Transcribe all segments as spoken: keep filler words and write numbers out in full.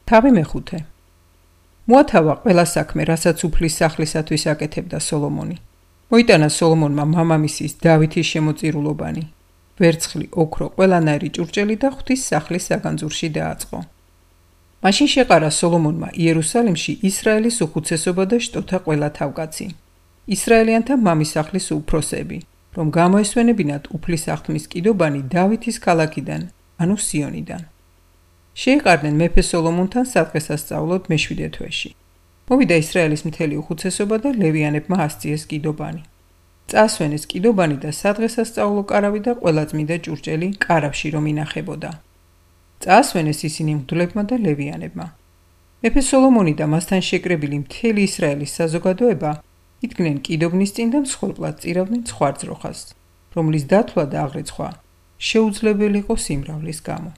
თავი მეხუთე. მოათავა ყველა საქმე, რასაც უფლის სახლისათვის აკეთებდა სოლომონი. მოიტანა სოლომონმა მამამისის დავითის შემოწირულობანი. ვერცხლი, ოქრო, ყველანაირი ჭურჭელი და ღვთის სახლის საგანძურში დააწყო. მაშინ შეყარა სოლომონმა იერუსალიმში ისრაელის უხუცესობა და შტოთა ყველა თავკაცი. ისრაელიანთა მამისახლის უფროსები, რომ გამოესვენებინათ უფლის აღთმის კიდობანი დავითის ქალაქიდან, ანუ სიონიდან. შეეყარნენ მეფე სოლომონთან სადღესასწაულოდ მეშვიდე თვეში. მოვიდა ისრაელის მთელი უხუცესობა და ლევიანებმა ასწიეს კიდობანი. წაასვენეს კიდობანი და სადღესასწაულო კარავი და ყველა წმიდა ჭურჭელი კარავში რომ ინახებოდა. წაასვენეს ისინი მღვდლებმა და ლევიანებმა. მეფე სოლომონი და მასთან შეკრებილი მთელი ისრაელის საზოგადოება იდგნენ კიდობნის წინ და მსხვერპლად წირავდნენ ცხვარძროხას, რომლის დათვლა და აღრიცხვა შეუძლებელი იყო სიმრავლის გამო.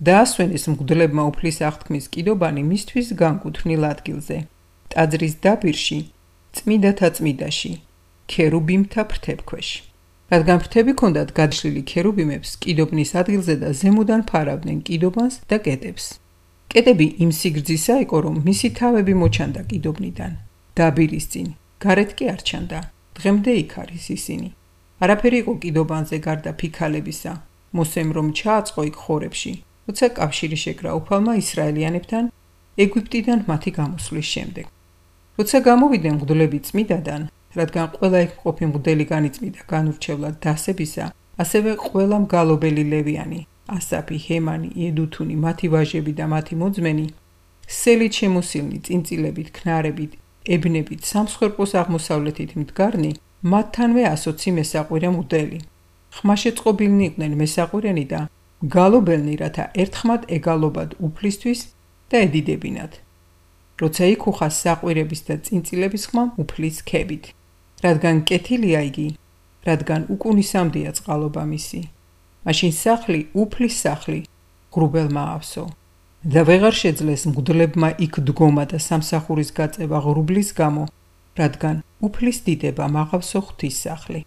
დაასვენეს მღვდლებმა უფლის აღთქმის კიდობანი მისთვის განკუთვნილ ადგილზე, ტაძრის დაბირში, წმიდათა წმიდაში, ქერუბიმთა ფრთებქვეშ. რადგან ფრთები ჰქონდათ გადაშლილი ქერუბიმებს, კიდობნის ადგილზე და ზემოდან ფარავდნენ კიდობანს და კეტებს. კეტები იმ სიგრძისა იყო, რომ მისი თავები მოჩანდა კიდობნიდან. დაბირის წინ, გარეთ კი არ ჩანდა. დღემდე იქ არის ისინი. არაფერი იყო კიდობანზე გარდა ფიქალებისა. მოსემ რომ ჩააწყო იქ ხორებში, როცა კავშირი შეკრა უფალმა ისრაელიანებთან ეგვიპტიდან მათი გამოსვლის შემდეგ. როცა გამოვიდნენ მღვდლები წმიდადან, რადგან ყველა იქ მყოფი მღვდელი განიწმიდა განურჩევლად დასებისა, ასევე ყველა მგალობელი ლევიანი, ასაფი, ჰემანი, ედუთუნი, მათი ვაჟები და მათი მოძმენი, სელით შემოსილნი, წინწილებით, ქნარებით, ებნებით, სამსხვერპლოს აღმოსავლეთით მდგარნი, მათთანვე ასოცი მესაყვირე მღვდელი. ხმაშეწყობილნი იყვნენ მესაყვირენი და გალობელნი, რათა ერთხმად ეგალობად უფლისთვის და ედიდებინათ. როცა იქუხა საყვირების და წინწილების ხმა უფლის ქებით. რადგან კეთილია იგი, რადგან უკუნისამდეა წყალობა მისი. მაშინ სახლი, უფლის სახლი, ღრუბელმა ავსო. და ვეღარ შეძლეს მღვდლებმა იქ დგომა და სამსახურის გაწევა ღრუბლის გამო, რადგან უფლის დიდება მაღავსო ღვთის სახლი.